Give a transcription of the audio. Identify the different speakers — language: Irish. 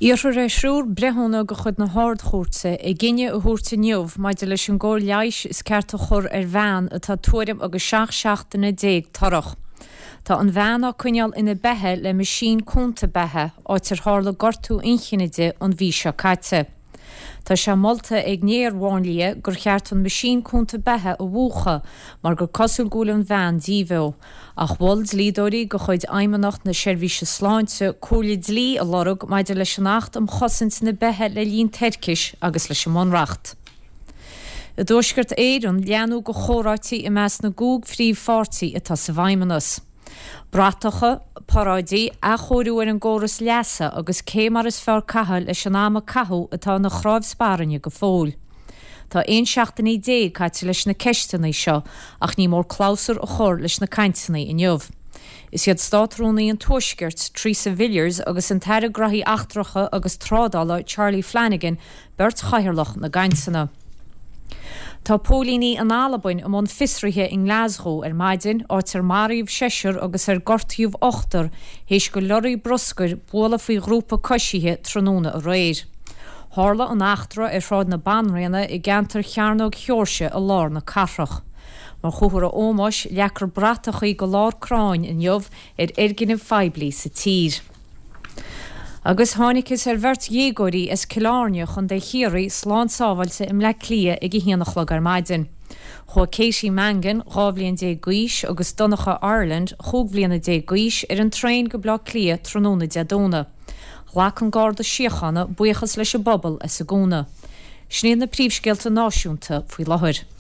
Speaker 1: Iarrthar ar thriúr breithiúna de chuid na hArd-Chúirte a gcinneadh a thabhairt inniu maidir leis an gcóir leighis is ceart a chur ar bhean atá tuairim agus 17 seachtaine torrach. Tá an bhean á coinneáil ina beatha le meaisín cúnta beatha, áit ar tharla gortú inchinne di an mhí seo caite. Tá sé molta ag néar-mháinlia gur cheart an meaisín cúnta beatha a mhúchadh mar gur cosúil go bhfuil an bhean díbheo. Ach mhol dlíodóirí de chuid Fheidhmeannacht na Seirbhíse Sláinte comhairle dlí a lorg maidir leis an Acht um Chosaint na Beatha le linn Toirchis agus leis an mBunreacht. I dTuaisceart Éireann, leanadh de chomhráití i measc na gcúig phríomhpháirtí atá sa bhFeidhmeannas. Bratacha, paráidí, athchóiriú ar an gcóras leasa agus cé mar is fearr caitheamh leis an am a caitheadh atá ina chnámh spairne go fóill. Tá 11 seachtainí caite leis na ceisteanna seo ach ní mór clabhsúr a chur leis na cainteanna inniu. Is iad Státrúnaí an Tuaiscirt, Theresa Villiers agus an tAire Graithí Eachtracha agus Trádála Charlie Flanagan beirt chathaoirleach na gcainteanna. Tá póilíní in Albain i mbun fiosraithe i nGlasgow ar maidin, áit ar maraíodh seisear agus ar gortaíodh ochtar théis do lorraí bruscair bualadh faoi ghrúpa coisithe tráthnóna aréir. Tharla an eachtra ar Shráid na Banríona i gceantar Chearnóg Sheoirse i lár na cathrach. Mar chomhartha ómóis, leagfar bratachaí go lár crainn inniu ar fhoirgnimh phoiblí sa tír. Agus tháinigtheas ar bheirt dhéagóirí as Cill Airne, Chontae Chiarraí, slán sábháilte i mBleá Cliath ag a haon a chlog ar maidin. Chuaigh Katie Mangan, 12 bhliain d'aois, agus Donncha Ireland, chúig bhliana déag d'aois, ar an traein go Bleá Cliath tráthnóna Dé Domhnaigh. Ghlac an Garda Síochána buíochas leis an bpobal as a gcúnamh. Sin iad na príomhscéalta náisiúnta faoi láthair.